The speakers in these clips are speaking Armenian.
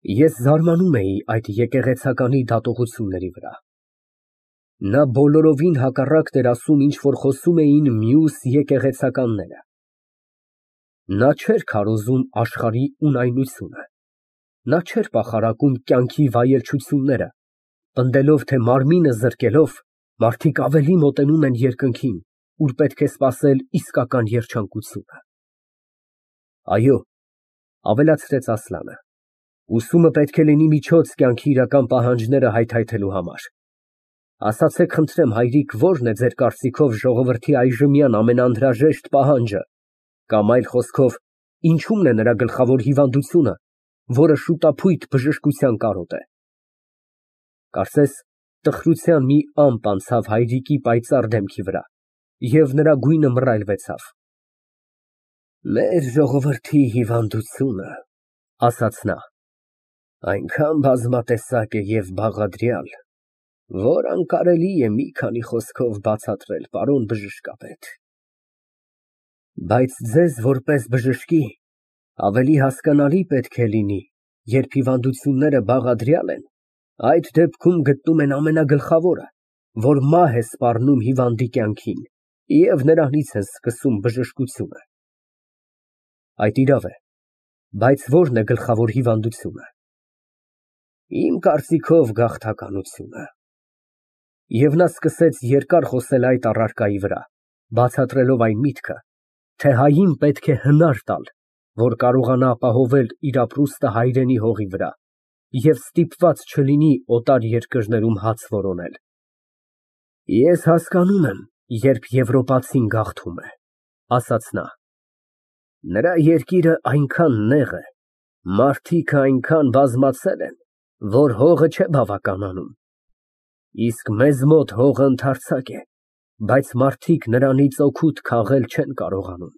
Ես զարմանում էի այդ եկեղեցականի դատողությունների վրա։ Նա բոլորովին հակառակն էր ասում, ինչ որ խոսում էին մյուս եկեղեցականները։ Նա չէր քարոզում աշխարհի ունայնությունը, նա չէր պախարակում կյանքի վայելչությունները, պնդելով, թե մարմինը զրկելով, մարդիկ ավելի մոտենում են երկնքին, ուր պետք է սպասել իսկական երջանկությունը։ Այո, ավելացրեց Ասլանը, ուսումը պետք է լինի միջոց կյանքի իրական պահանջները հայթայթելու համար։ Ասացեք խնդրեմ, հայրիկ, ո՞րն է ձեր կարծիքով ժողովրդի այժմյան ամենաանհրաժեշտ պահանջը, կամ այլ խոսքով, ինչումն է նրա գլխավոր հիվանդությունը, որը շուտափույթ բժշկության կարոտ է։ Կարծես տխրության մի ամպ անցավ հայրիկի պայծառ դեմքի վրա, և նրա գույնը մռայլվեցավ։ Մեր ժողովրդի հիվանդությունը, ասաց նա, այնքան բազմատեսակ է և բաղադրյալ, որ անկարելի է մի քանի խոսքով բացատրել, պարոն բժշկապետ։ Բայց ձեզ որպես բժշկի ավելի հասկանալի պետք է լինի, երբ հիվանդությունները բաղադրյալ են, այդ դեպքում գտնում են ամենագլխավորը, որ մահ է սպառնում հիվանդի կյանքին, և նրանից են սկսում բժշկությունը։ Այդ իրավ է, բայց ո՞րն է գլխավոր հիվանդությունը։ Իմ կարծիքով գաղթականությունը։ Եվ նա սկսեց երկար խոսել այդ առարկայի վրա, բացատրելով այն միտքը, թե հային պետք է հնար տալ, որ կարողանա ապահովել իր ապրուստը հայրենի հողի վրա և ստիպված չլինի օտար երկրներում հաց որոնել։ Ես հասկանում եմ, երբ եվրոպացին գաղթում է, ասաց նա։ Նրա երկիրը այնքան նեղ է, մարդիկը այնքան բազմացել են, որ հողը չէ բավականանում։ Իսկ մեզ մոտ հողը ընդարձակ է, բայց մարդիկ նրանից օգուտ քաղել չեն կարողանում։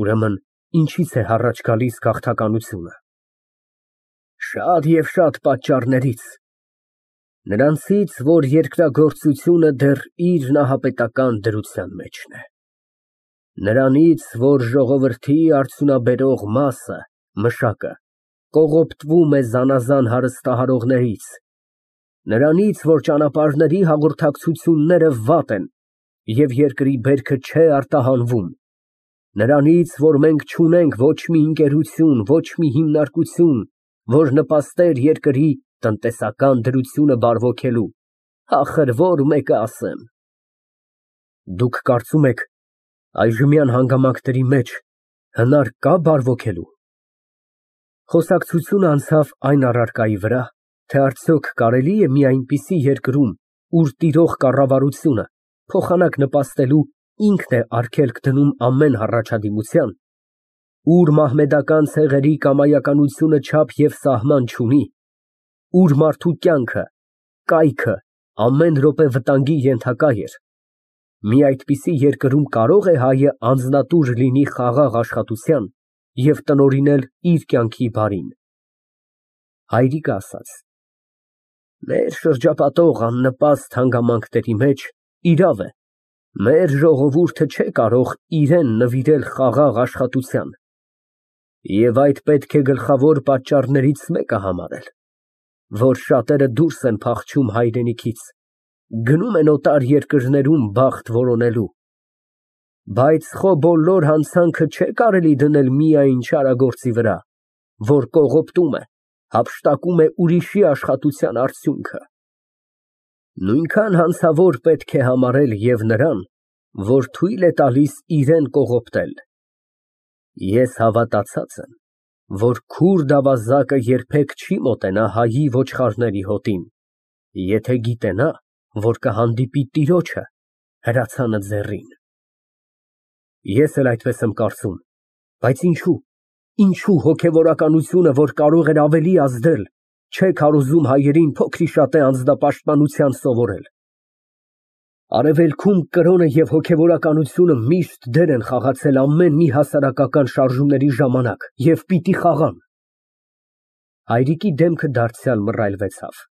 Ուրեմն, ինչի՞ց է առաջ գալիս գաղթականությունը։ Շատ և շատ պատճառներից։ Նրանցից, որ երկրագործությունը դեռ իր նահապետական դրության մեջն է։ Նրանից, որ ժողովրդի արդյունաբերող մասը, մշակը, կողոպտվում է զանազան հարստահարողներից, նրանից, որ ճանապարհների հաղորդակցությունները վատ են և երկրի բերքը չէ արտահանվում, նրանից, որ մենք չունենք ոչ մի ընկերություն, ոչ մի հիմնարկություն, որ նպաստեր երկրի տնտեսական դրությունը բարվոքելու, ախր որ մեկը ասեմ։ Դուք կարծում եք, այժմյան հանգամանքների մեջ հնար կա բարվոքելու։ Խոսակցությունը անցավ այն առարկայի վրա, թե արդյոք կարելի է մի այնպիսի երկրում, ուր տիրող կառավարությունը փոխանակ նպաստելու ինքն է արգելք դնում ամեն հառաջադիմության, ուր մահմեդական ցեղերի կամայականությունը չափ և սահման չունի, ուր մարդու կյանքը, կայքը ամեն րոպե վտանգի ենթակա էր, մի այդպիսի երկրում կարո՞ղ է հայը անձնատուր լինի խաղաղ աշխատության և տնօրինել իր կյանքի բարին։ Հայրիկը ասաց. Մեր շրջապատող աննպաստ հանգամանքների մեջ, իրավ է, մեր ժողովուրդը չէ կարող իրան նվիրել խաղաղ աշխատության, և այդ պետք է գլխավոր պատճառներից մեկը համարել, որ շատերը դուրս են փախչում հայրենիքից, գնում են օտար երկրներում բախտ որոնելու, բայց խո բոլոր հանցանքը չէ կարելի դնել միայն չարագործի վրա, որ կողոպտում է, հափշտակում է ուրիշի աշխատության արդյունքը։ Նույնքան հանցավոր պետք է համարել և նրան, որ թույլ է տալիս իրան կողոպտել։ Ես հավատացած եմ, որ քուրդ ավազակը երբեք չի մոտենա հայի ոչխարների հոտին, եթե գիտենա, որ կհանդիպի տիրոջը հրացանը ձեռին։ Ես էլ այդպես եմ կարծում, բայց ինչու հոգևորականությունը, որ կարող էր ավելի ազդել, չէ քարոզում հայերին փոքրիշատե անձնապաշտպանության սովորել։ Արևելքում կրոնը և հոգևորականությունը միշտ դեր են խաղացել ամեն մի հասարակական շարժումների ժամանակ և պիտի խաղան։ Հայրիկի դեմքը դարձյալ մռայլվեցավ։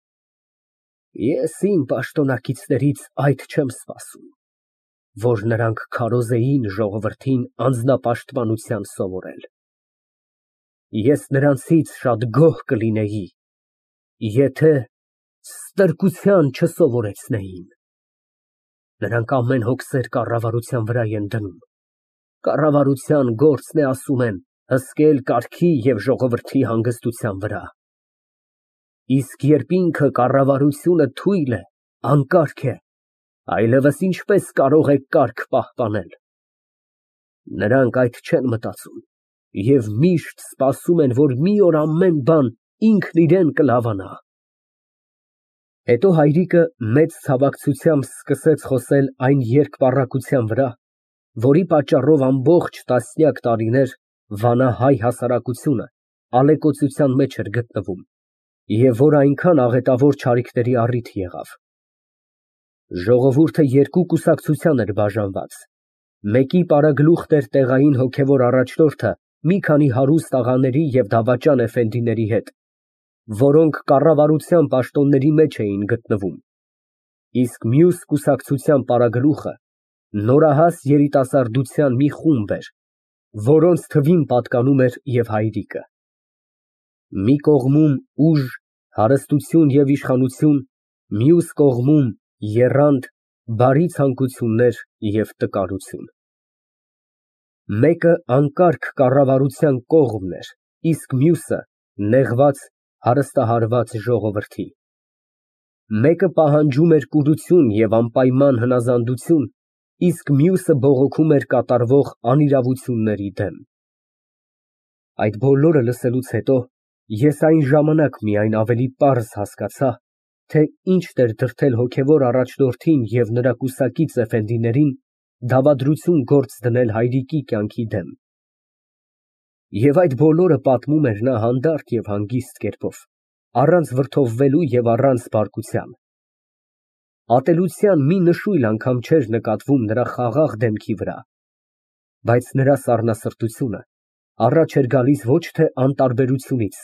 Ես իմ պաշտոնակիցներից այդ չեմ սպասում, որ նրանք քարոզեին ժողովրդին անձնապաշտպանության սովորել։ ես նրանցից շատ գոհ կլինեի, եթե ստրկության չսովորեցնեին։ Նրանք ամեն հոգսեր կառավարության վրա են դնում, կառավարության գործն է, ասում են, հսկել կարգի և ժողովրդի հանգստության վրա։ Իսկ երբ ինքը կառավարությունը թույլ է, անկարգ է, այլևս ինչպես կարող է կարգ պահպանել։ Նրանք այդ չեն մտածում և միշտ սպասում են, որ մի օր ամեն բան ինքն իրան կլավանա։ Հետո հայրիկը մեծ ցավակցությամբ սկսեց խոսել այն երկպառակտության վրա, որի պատճառով ամբողջ տասնյակ տարիներ վանա հայ հասարակությունը ալեկոծության մեջ էր գտնվում և որ այնքան աղետավոր չարիքների առիթ եղավ։ Ժողովուրդը երկու կուսակցության էր բաժանված, մեկի պարագլուխն էր տեղային հոգևոր առաջնորդը մի քանի հարուստ աղաների և դավաճան էֆենդիների հետ, որոնք կառավարության պաշտոնների մեջ էին գտնվում, իսկ մյուս կուսակցության պարագլուխը նորահաս երիտասարդության մի խումբ էր, որոնց թվին պատկանում էր և հայրիկը։ Մի կողմում ուժ, հարստություն և իշխանություն, մյուս կողմում եռանդ, բարի ցանկություններ և տկարություն։ Մեկը անկարգ կառավարության կողմն էր, իսկ մյուսը նեղված, հարստահարված ժողովրդի։ Մեկը պահանջում էր կուրություն և անպայման հնազանդություն, իսկ մյուսը բողոքում էր կատարվող անիրավությունների դեմ։ Այդ բոլորը լսելուց հետո ես այն ժամանակ միայն ավելի պարզ հասկացա, թե ինչն էր դրդել հոգևոր առաջնորդին և նրա կուսակից էֆենդիներին դավադրություն գործ դնել հայրիկի կյանքի դեմ։ Եվ այդ բոլորը պատմում էր նա հանդարտ և հանգիստ կերպով, առանց վրդովվելու և առանց բարկության։ Ատելության մի նշույլ անգամ չէր նկատվում նրա խաղաղ դեմքի վրա, բայց նրա սառնասրտությունը առաջ էր գալիս ոչ թե անտարբերությունից,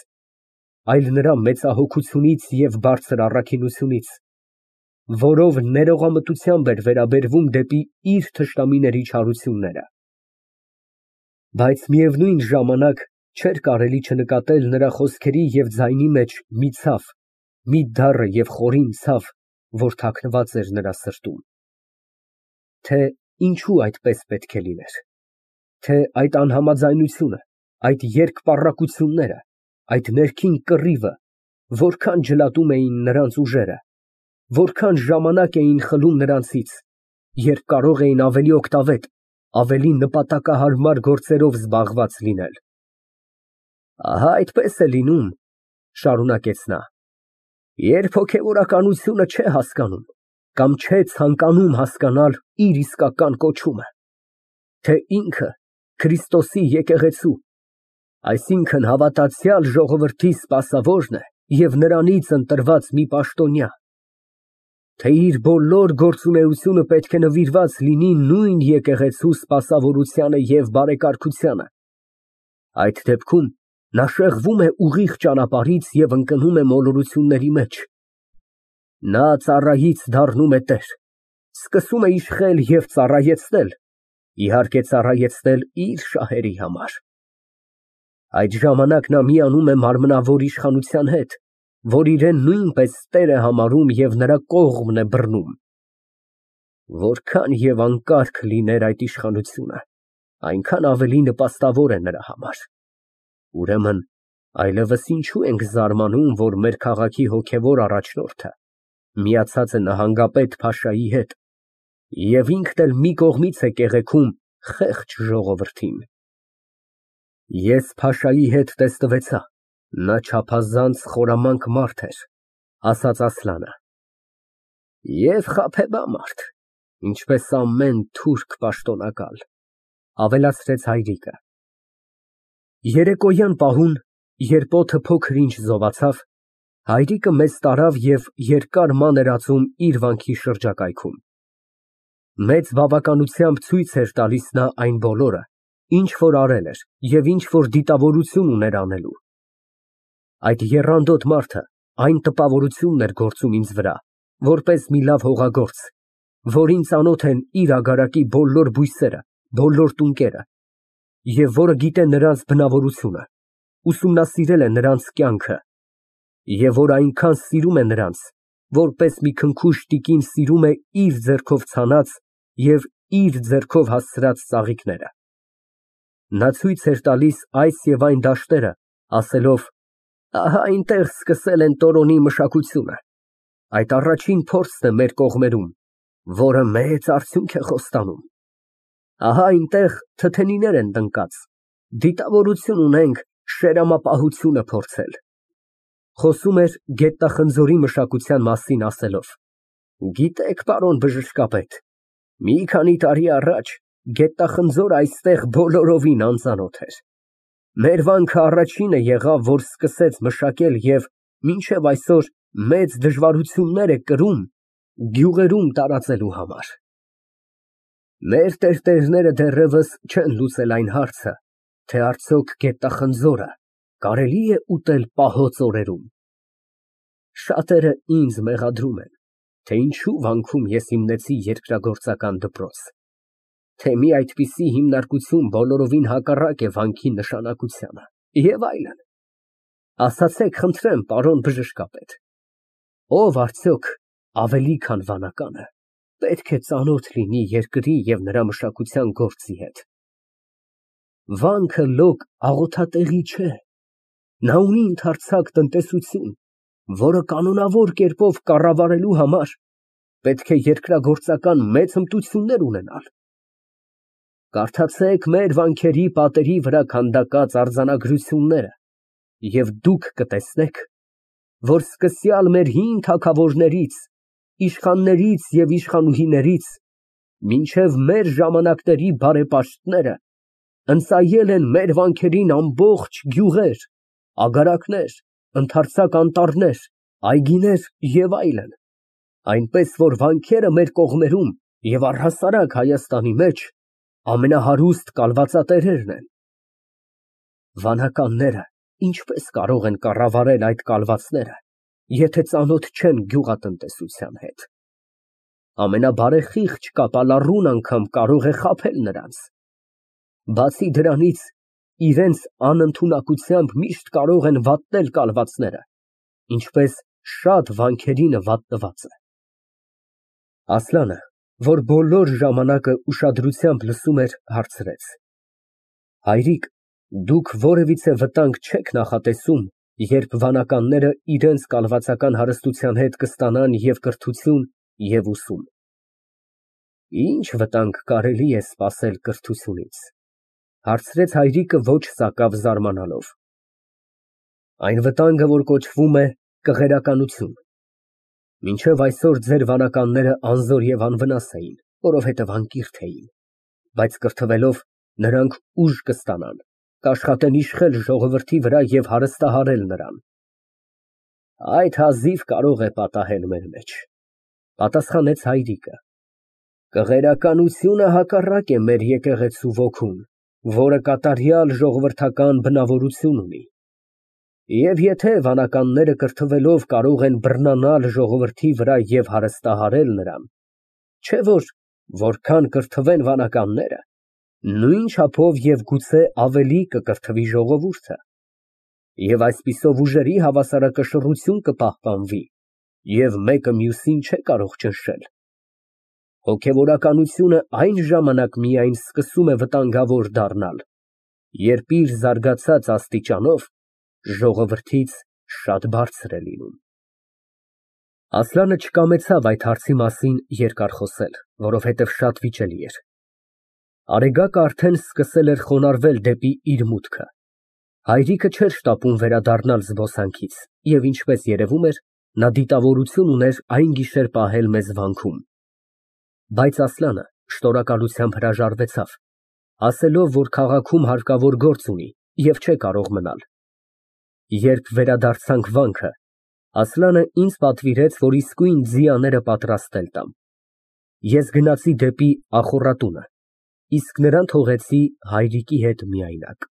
այլ նրա մեծահոգությունից և բարձր առաքինությունից, որով ներողամտությամբ էր վերաբերվում դեպի իր թշնամիների չարությունները։ Բայց միևնույն ժամանակ չէր կարելի չնկատել նրա խոսքերի և ձայնի մեջ մի ցավ, մի դառը և խորին ցավ, որ թաքնված էր նրա սրտում։ Թե ինչու այդպես պետք է լիներ, թե այդ անհամաձայնությունը, այդ երկպառակտությունները, այդ ներքին կռիվը որքան ջլատում էին նրանց ուժերը, որքան ժամանակ էին խլում նրանցից, երբ կարող էին ավելի օգտավետ, ավելի նպատակահարմար գործերով զբաղված լինել։ Ահա այդպես է լինում, շարունակեց նա, երբ հոգևորականությունը չէ հասկանում կամ չէ ցանկանում հասկանալ իր իսկական կոչումը, թե ինքը Քրիստոսի եկեղեցու, այսինքն հավատացյալ ժողովրդի սպասավորն է և նրանից ընտրված մի պաշտոնյա, թե իր բոլոր գործունեությունը պետք է նվիրված լինի նույն եկեղեցու սպասավորությանը և բարեկարգությանը, այդ դեպքում նա շեղվում է ուղիղ ճանապարհից և ընկնում է մոլորությունների մեջ։ Նա ծառայից դառնում է տեր, սկսում է իշխել և ծառայեցնել, իհարկե ծառայեցնել իր շահերի համար։ Այդ ժամանակ նա միանում է մարմնավոր իշխանության հետ, որ իրեն նույնպես տեր է համարում և նրա կողմն է բռնում։ Որքան և անկարգ լիներ այդ իշխանությունը, այնքան ավելի նպաստավոր է նրա համար։ Ուրեմն այլևս ինչու ենք զարմանում, որ մեր քաղաքի հոգևոր առաջնորդը միացած է նահանգապետ փաշայի հետ և ինքն էլ մի կողմից է կեղեքում խեղճ ժողովրդին։ Ես փաշայի հետ տեսնվեցա, նա չափազանց խորամանկ մարդ էր, ասաց Ասլանը, և խաբեբա մարդ, ինչպես ամեն թուրք պաշտոնակալ, ավելացրեց հայրիկը։ Երեկոյան պահուն, երբ օդը փոքր-ինչ զովացավ, հայրիկը մեզ տարավ և երկար մանր ածում իր վանքի շրջակայքում։ Մեծ բավականությամբ ցույց էր տալիս նա այն բոլորը, ինչ որ արել էր և ինչ որ դիտավորություն ուներ անելու։ Այդ եռանդոտ մարդը այն տպավորությունն էր գործում ինձ վրա, որպես մի լավ հողագործ, որին ծանոթ են իր ագարակի բոլոր բույսերը, բոլոր տունկերը, և որը գիտե նրանց բնավորությունը, ուսումնասիրել է նրանց կյանքը, և որ այնքան սիրում է նրանց, որպես մի քնքուշ տիկին սիրում է իր ձեռքով ցանած և իր ձեռքով հասցրած ծաղիկները։ Նա ցույց էր տալիս այս և այն դաշտերը, ասելով. «Ահա այնտեղ սկսել են Տորոնի մշակությունը, այդ առաջին փորձն է մեր կողմերում, որը մեծ արդյունք է խոստանում։ Ահա այնտեղ թթենիներ են տնկած, դիտավորություն ունենք շերամապահությունը փորձել»։ Խոսում էր գետախնձորի մշակության մասին, ասելով. «Գիտեք, պարոն բժշկապետ, մի քանի տարի առաջ գետախնձորը այստեղ բոլորովին անծանոթ էր։ Մեր վանքը առաջինը եղավ, որ սկսեց մշակել և մինչև այսօր մեծ դժվարություններ է կրում գյուղերում տարածելու համար։ Մեր տերտերները դեռևս չեն լուծել այն հարցը, թե արդյոք գետախնձորը կարելի է ուտել պահոց օրերում։ Շատերը ինձ մեղադրում են, թե ինչու վանքում ես հիմնեցի երկրագործական դպրոց, թե մի այդպիսի հիմնարկություն բոլորովին հակառակ է վանքի նշանակությանը և այլն։ Ասացեք, խնդրեմ, պարոն բժշկապետ, ով արդյոք ավելի քան վանականը պետք է ծանոթ լինի երկրի և նրա մշակության գործի հետ։ Վանքը լոկ աղոթատեղի չէ, նա ունի ընդարձակ տնտեսություն, որը կանոնավոր կերպով կառավարելու համար պետք է երկրագործական մեծ հմտություններ ունենալ։ Կարդացեք մեր վանքերի պատերի վրա քանդակած արձանագրությունները և դուք կտեսնեք, որ սկսյալ մեր հին թագավորներից, իշխաններից և իշխանուհիներից մինչև մեր ժամանակների բարեպաշտները ընծայել են մեր վանքերին ամբողջ գյուղեր, ագարակներ, ընդարձակ անտառներ, այգիներ և այլն, այնպես որ վանքերը մեր կողմերում և առհասարակ Հայաստանի մեջ ամենահարուստ կալվածատերերն են։ Վանականները ինչպես կարող են կառավարել այդ կալվածները, եթե ծանոթ չեն գյուղատնտեսության հետ։ Ամենաբարեխիղճ կապալառուն անգամ կարող է խաբել նրանց։ Բացի դրանից, իրենց անընդունակությամբ միշտ կարող են վատնել կալվածները, ինչպես շատ վանքերի նվաճված է։ Ասլանը, որ բոլոր ժամանակը ուշադրությամբ լսում էր, հարցրեց. Հայրիկ, դուք որևիցե վտանգ չեք նախատեսում, երբ վանականները իրենց կալվածական հարստության հետ կստանան և կրթություն, և ուսում։ Ինչ վտանգ կարելի է սպասել կրթությունից, հարցրեց հայրիկը ոչ սակավ զարմանալով։ Այն վտանգը, որ կոչվում է կղերականություն։ Մինչև այսօր ձեր վանականները անզոր և անվնաս էին, որովհետև անկիրք էին, բայց կրթվելով նրանք ուժ կստանան, կաշխատեն իշխել ժողովրդի վրա և հարստահարել նրան։ Այդ հազիվ կարող է պատահել մեր մեջ, պատասխանեց հայրիկը։ Կղերականությունը հակառակ է մեր եկեղեցու ոգուն, որը կատարյալ ժողովրդական բնավորություն ունի։ Եվ եթե վանականները կրթվելով կարող են բռնանալ ժողովրդի վրա և հարստահարել նրան, չէ՞ որ որքան կրթվեն վանականները, նույն չափով և գուցե ավելի կկրթվի ժողովուրդը, և այսպիսով ուժերի հավասարակշռություն կպահպանվի, և մեկը մյուսին չէ կարող ճնշել։ Հոգևորականությունը այն ժամանակ միայն սկսում է վտանգավոր դառնալ, երբ իր զարգացած աստիճանով ժողովրդից շատ բարձր է լինում։ Ասլանը չկամեցավ այդ հարցի մասին երկար խոսել, որովհետև շատ վիճելի էր։ Արեգակը արդեն սկսել էր խոնարհվել դեպի իր մուտքը։ Հայրիկը չէր շտապում վերադառնալ զբոսանքից և, ինչպես երևում էր, նա դիտավորություն ուներ այն գիշեր պահել մեզ վանքում։ Բայց Ասլանը շնորհակալությամբ հրաժարվեցավ, ասելով, որ քաղաքում հարկավոր գործ ունի և չէ կարող մնալ։ Երբ վերադարձանք վանքը, Ասլանը ինձ պատվիրեց, որ իսկույն ձիաները պատրաստել տամ։ Ես գնացի դեպի ախոռատունը, իսկ նրան թողեցի հայրիկի հետ միայնակ։